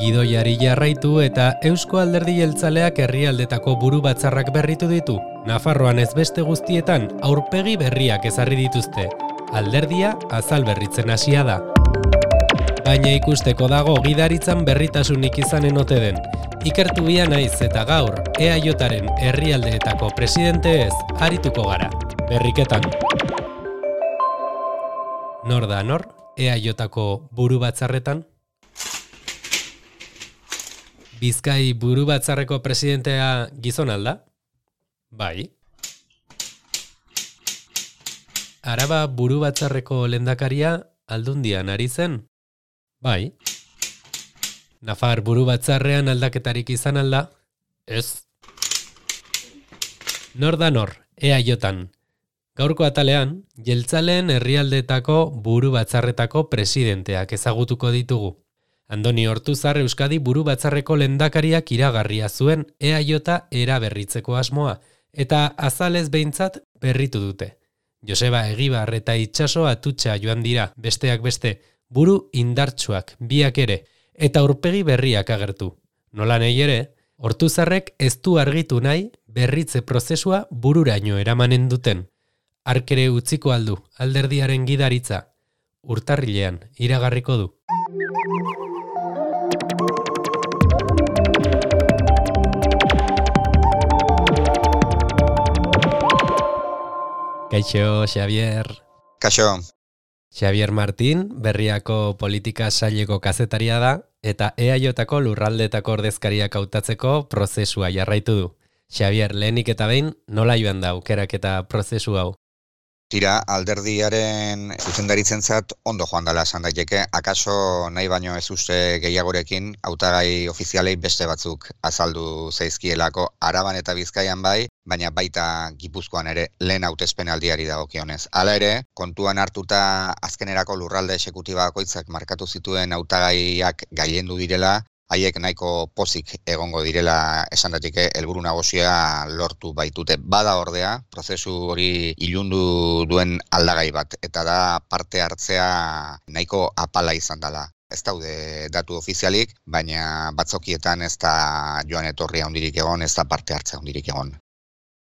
Gidoiari jarraitu eta Eusko Alderdi Jeltzaleak herrialdetako buru batzarrak berritu ditu. Nafarroan ez beste guztietan aurpegi berriak ezarri dituzte. Alderdia azal berritzen hasia da. Baina ikusteko dago gidaritzan berritasunik izanen ote den. Ikertu bia naiz eta gaur EAJaren herrialdeetako presidente ez arituko gara. Berriketan. Nor da nor EAJako buru batzarretan? Bizkai buru batzarreko presidentea gizon alda? Bai. Araba buru batzarreko lehendakaria Aldundian ari zen? Bai. Nafar buru batzarrean aldaketarik izan alda? Ez. Nor da nor, EAJan. Gaurko atalean, Jeltzaleen herrialdeetako buru batzarretako presidenteak ezagutuko ditugu. Andoni Ortuzar Euskadi buru batzarreko lehendakariak iragarria zuen EAJ eraberritzeko asmoa, eta azalez behintzat berritu dute. Joseba Egibar eta Itxaso Atutxa joan dira, besteak beste, buru indartsuak, biak ere, eta aurpegi berriak agertu. Nola nahi ere, Ortuzarrek ez du argitu nahi berritze prozesua bururaino eramanen duten. Arkere utziko aldu, alderdiaren gidaritza, urtarrilean iragarriko du. Kaixo, Xavier. Kaixo. Xavier Martín, Berriako politika saileko kazetaria da, eta EAJko lurraldetako ordezkariak hautatzeko prozesua jarraitu du. Xavier, lehenik eta behin, nola joan da aukerak eta prozesu hau? Tira, alderdiaren zuzendaritzentzat ondo joan dela esan daiteke, akaso nahi baino ez uste gehiagorekin hautagai ofizialei beste batzuk azaldu zaizkielako Araban eta Bizkaian bai, baina baita Gipuzkoan ere lehen hautespenaldiari dagokionez. Hala ere, kontuan hartuta azkenerako lurralde exekutiba bakoitzak markatu zituen hautagaiak gailendu direla, haiek nahiko pozik egongo direla esan datike helburu nagusia lortu baitute. Bada ordea, prozesu hori ilundu duen aldagai bat, eta da parte hartzea nahiko apala izan dela. Ez daude datu ofizialik, baina batzokietan ez da joan etorria handirik egon, ez da parte hartzea handirik egon.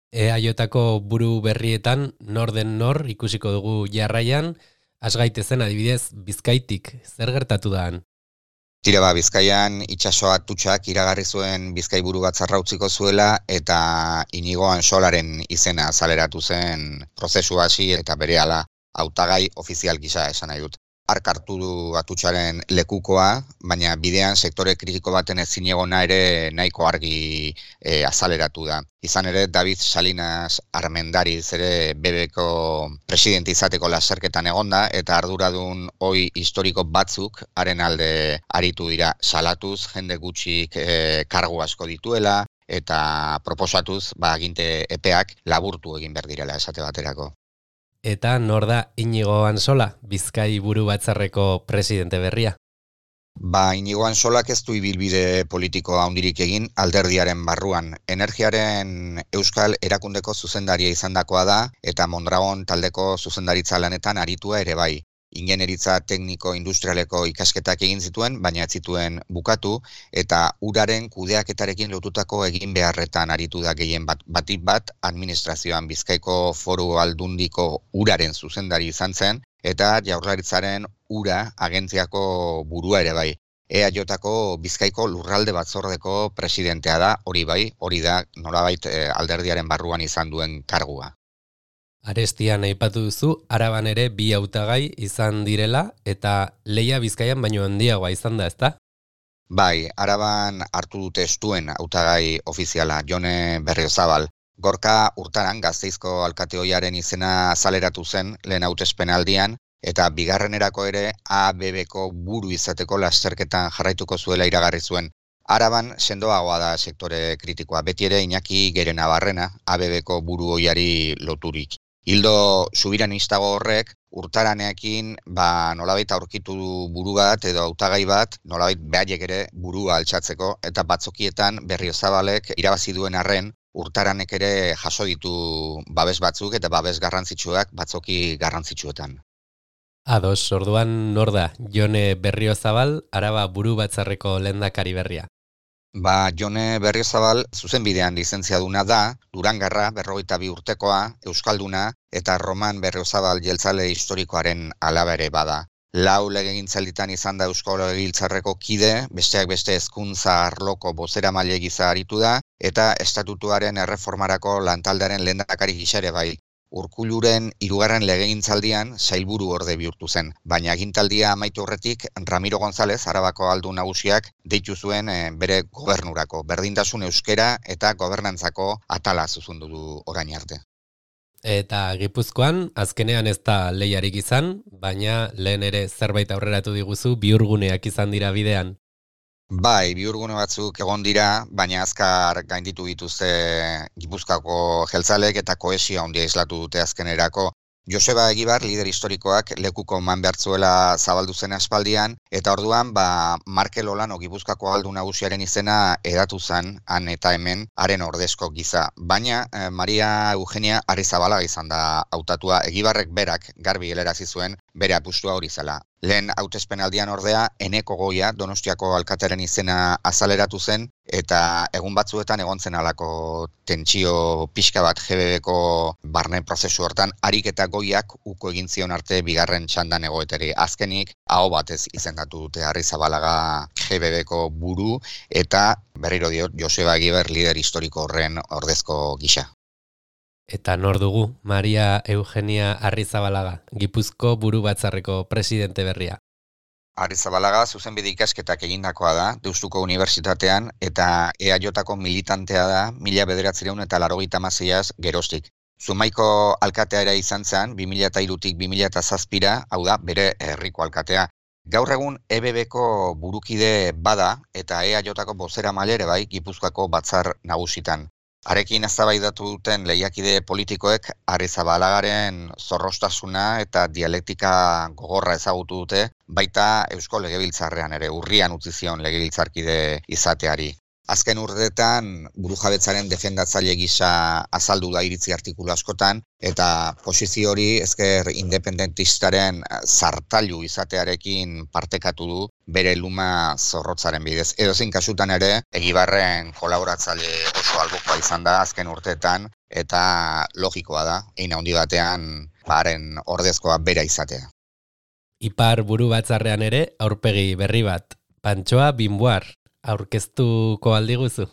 EAJko buru berrietan nor den nor ikusiko dugu jarraian, has gaitezen adibidez Bizkaitik, zer gertatu da han? Tira Bizkaian Itxaso Atutxak iragarri zuen Bizkai buru batzarra utziko zuela eta Inigo Ansolaren izena azaleratu zen prozesu hasi eta berehala hautagai ofizial gisa esan nahi dut. Hark hartu du Atutxaren lekukoa, baina bidean sektore kritiko baten ezinegona ere nahiko argi azaleratu da. Izan ere, David Salinas Armendariz ere BBko presidente izateko lasterketan egonda, eta arduradun ohi historiko batzuk haren alde aritu dira salatuz, jende gutxik kargu asko dituela, eta proposatuz, aginte epeak laburtu egin behar direla esate baterako. Eta nor da Inigo Ansola, Bizkai buru batzarreko presidente berria? Inigo Ansolak ez du ibilbide politikoa handirik egin alderdiaren barruan. Energiaren Euskal Erakundeko zuzendaria izandakoa da eta Mondragon taldeko zuzendaritza lanetan aritua ere bai. Ingenieritza tekniko industrialeko ikasketak egin zituen, baina ez zituen bukatu, eta uraren kudeaketarekin lotutako egin beharretan aritu da gehien batik bat administrazioan Bizkaiko Foru Aldundiko uraren zuzendari izan zen, eta Jaurlaritzaren ura agentziako burua ere bai. EAJko Bizkaiko lurralde batzordeko presidentea da, hori bai, hori da nolabait alderdiaren barruan izan duen kargua. Arestian aipatu duzu, Araban ere bi hautagai izan direla eta lehia Bizkaian baino handiagoa izan da, ezta? Bai, Araban hartu dute estuen hautagai ofiziala, Jone Berriozabal. Gorka Urtaran Gasteizko alkate ohiaren izena azaleratu zen lehen hautespenaldian, eta bigarrenerako ere ABBko buru izateko lasterketan jarraituko zuela iragarri zuen. Araban sendoagoa da sektore kritikoa, beti ere Iñaki Gerenabarrena ABBko buru ohiari loturik. Hildo subiranistago horrek Urtaranekin nolabait aurkitu buru bat edo hautagai bat, nolabait behaiek ere burua altxatzeko, eta batzokietan Berriozabalek irabazi duen arren Urtaranek ere jaso ditu babes batzuk eta babes garrantzitsuak batzoki garrantzitsuetan. Ados, orduan nor da, Jone Berriozabal, Araba buru batzarreko lehendakari berria. Jone Berriozabal zuzenbidean lizentziaduna da, Durangarra 42 urtekoa, euskalduna eta Roman Berriozabal jeltzale historikoaren alaba ere bada. 4 legegintzalditan izan da Eusko Legebiltzarreko kide, besteak beste hezkuntza arloko bozeramaile gisa aritu da eta estatutuaren erreformarako lantaldearen lehendakari gisa ere bai. Urkulluren 3. legegintzaldian sailburu orde bihurtu zen, baina agintaldia amaitu horretik Ramiro González, Arabako aldun nagusiak, deitu zuen bere gobernurako, berdintasun euskera eta gobernantzako atala zuzendu du orain arte. Eta Gipuzkoan, azkenean ez da lehiarik izan, baina lehen ere zerbait aurreratu diguzu bihurguneak izan dira bidean. Bai, bihurgune batzuk egon dira, baina azkar gainditu dituzte Gipuzkoako jeltzalek eta kohesioa handia islatu dute azkenerako. Joseba Egibar, lider historikoak, lekuko eman behartzuela zabaldu zen aspaldian, eta orduan, Markel Olano Gipuzkoako aldun nagusiaren izena edatu zen, han eta hemen, haren ordezko giza. Baina, Maria Eugenia Arrizabalaga izan da hautatua, Egibarrek berak garbi helarazi zuen bere apustua hori zela. Lehen hautespenaldian ordea, Eneko Goia, Donostiako alkatearen izena azaleratu zen, eta egun batzuetan egon zen alako tentsio pixka bat GBBko barne prozesu hortan, harik eta Goiak uko egin zion arte bigarren txandan egoeteri. Azkenik, aho batez izendatu dute Arrizabalaga GBBko buru, eta berriro diot Joseba Egibar lider historiko horren ordezko gisa. Eta nor dugu, Maria Eugenia Arrizabalaga, Gipuzko buru batzarreko presidente berria. Arrizabalaga zuzenbide ikasketak egindakoa da, Deustuko Unibertsitatean, eta EAJko militantea da, 1986 geroztik. Zumaiko alkatea ere izan zen, 2003tik 2007, hau da, bere herriko alkatea. Gaur egun EBBko burukide bada, eta EAJko bozeramaile ere bai, Gipuzkoako batzar nagusitan. Harekin eztabaidatu duten lehiakide politikoek Arrizabalagaren zorrostasuna eta dialektika gogorra ezagutu dute, baita Eusko Legebiltzarrean ere urrian utzi zion legebiltzarkide izateari. Azken urteetan burujabetzaren defendatzaile gisa azaldu da iritzi artikulu askotan, eta posizio hori ezker independentistaren zartailu izatearekin partekatu du bere luma zorrotzaren bidez. Edozein kasutan ere, Egibarren kolaboratzaile oso albokoa izan da azken urteetan, eta logikoa da, hein handi batean haren ordezkoa bera izatea. Ipar buru batzarrean ere, aurpegi berri bat, Pantxoa Binboar, aurkeztuko aldiguzu?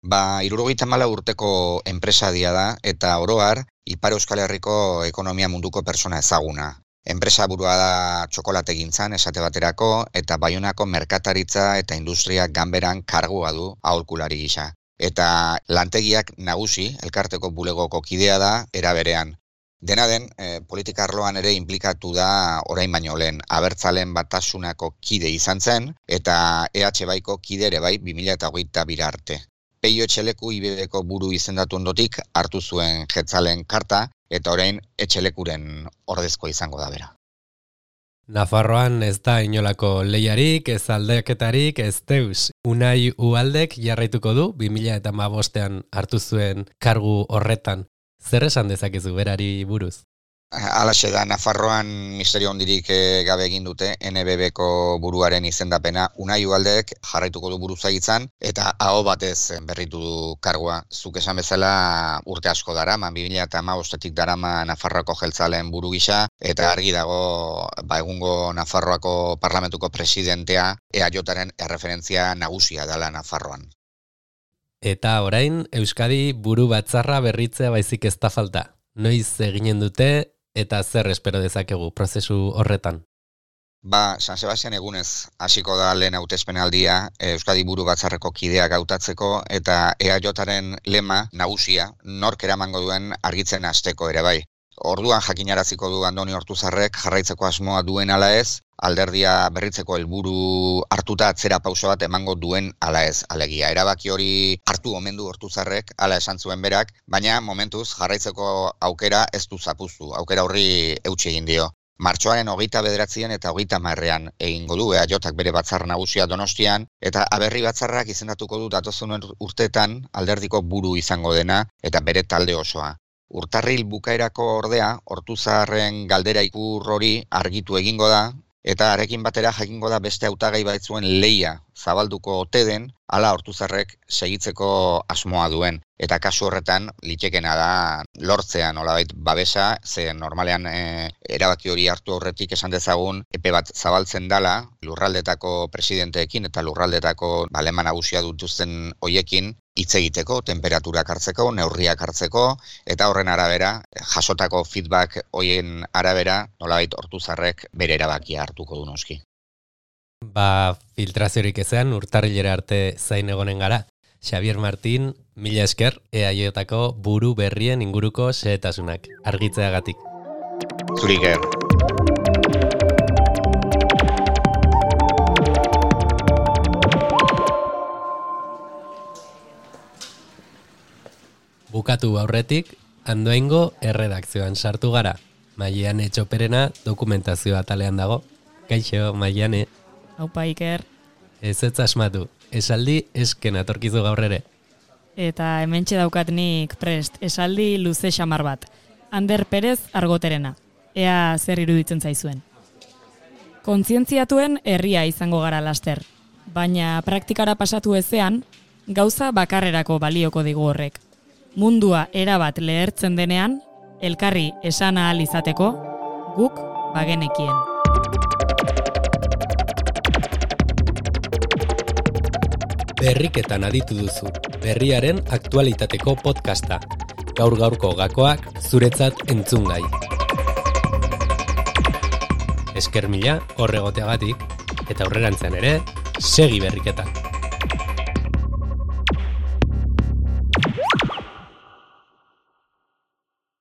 74 urteko enpresadia da, eta oroar, Ipar Euskal Herriko ekonomia munduko persona ezaguna. Enpresa burua da txokolategintzan esate baterako, eta Baionako merkataritza eta industria ganberan kargua du aholkulari gisa. Eta lantegiak nagusi, elkarteko bulegoko kidea da, era berean. Dena den, politika arloan ere inplikatu da orain baino lehen, Abertzalen Batasunako kide izan zen, eta EH Baiko kide ere bai 2022 arte. Peio Etxeleku IBBko buru izendatu ondotik hartu zuen Jetzalen karta, eta orain Etxelekuren ordezko izango da bera. Nafarroan ez da inolako lehiarik, ez aldaketarik, ez deus. Unai Ualdek jarraituko du 2015ean hartu zuen kargu horretan. Zer esan dezakezu berari buruz? Halaxe da, Nafarroan misterio hondirik gabe egin dute NBBko buruaren izendapena. Unai Ualdek jarraituko du buruzagitzan eta aho batez berritu du kargua. Zuk esan bezala urte asko darama, 2015etik darama Nafarroako jeltzaleen buru gisa, eta argi dago egungo Nafarroako parlamentuko presidentea EAJaren erreferentzia nagusia dela Nafarroan. Eta orain, Euskadi buru batzarra berritzea baizik ez da falta. Noiz eginen dute eta zer espero dezakegu prozesu horretan? San Sebastian egunez hasiko da lehen hautespenaldia Euskadi buru batzarreko kideak hautatzeko, eta EAJaren lema nagusia nork eramango duen argitzen hasteko ere bai. Orduan jakinaraziko du Andoni Ortuzarrek jarraitzeko asmoa duen ala ez, alderdia berritzeko helburu hartuta atzera pauso bat emango duen ala ez, alegia. Erabaki hori hartu omen du Ortuzarrek, ala esan zuen berak, baina momentuz jarraitzeko aukera ez du zapuztu, aukera horri eutsi egin dio. Martxoaren 29 eta 30 egingo du EAJak bere batzar nagusia Donostian, eta Aberri batzarrak izendatuko du datozen urteetan alderdiko buru izango dena eta bere talde osoa. Urtarril bukaerako ordea, Ortuzarren galdera ikur hori argitu egingo da, eta arekin batera jakingo da beste hautagai baitzuen lehia zabalduko ote den, hala Ortuzarrek segitzeko asmoa duen. Eta kasu horretan, litekena da lortzea nolabait babesa, ze normalean erabaki hori hartu horretik esan dezagun, epe bat zabaltzen dala, lurraldetako presidenteekin eta lurraldetako balema nagusia dituzten hoiekin, hitz egiteko, temperaturak hartzeko, neurriak hartzeko, eta horren arabera, jasotako feedback hoien arabera, nolabait Ortuzarrek bere erabakia hartuko du noski. Filtraziorik ezean, urtarrilera arte zain egonen gara. Xabier Martin, mila esker, EAJko buru berrien inguruko xehetasunak, argitzeagatik. Zurik er. Bukatu aurretik, Andoaingo erredakzioan sartu gara. Maiane Txoperena dokumentazioa atalean dago. Kaixo, Maiane. Aupa, Iker. Ez asmatu, esaldi esken atorkizu gaur ere. Eta hementxe daukat nik prest, esaldi luze xamar bat. Ander Perez Argoterena. Ea zer iruditzen zaizuen. Kontzientziatuen herria izango gara laster. Baina praktikara pasatu ezean, gauza bakarrerako balioko digu horrek. Mundua erabat lehertzen denean, elkarri esan ahal izateko, guk bagenekien. Berriketan aditu duzu, berriaren aktualitateko podcasta. Gaur-gaurko gakoak zuretzat entzungai. Esker mila horregoteagatik, eta aurrerantzean ere, segi berriketan.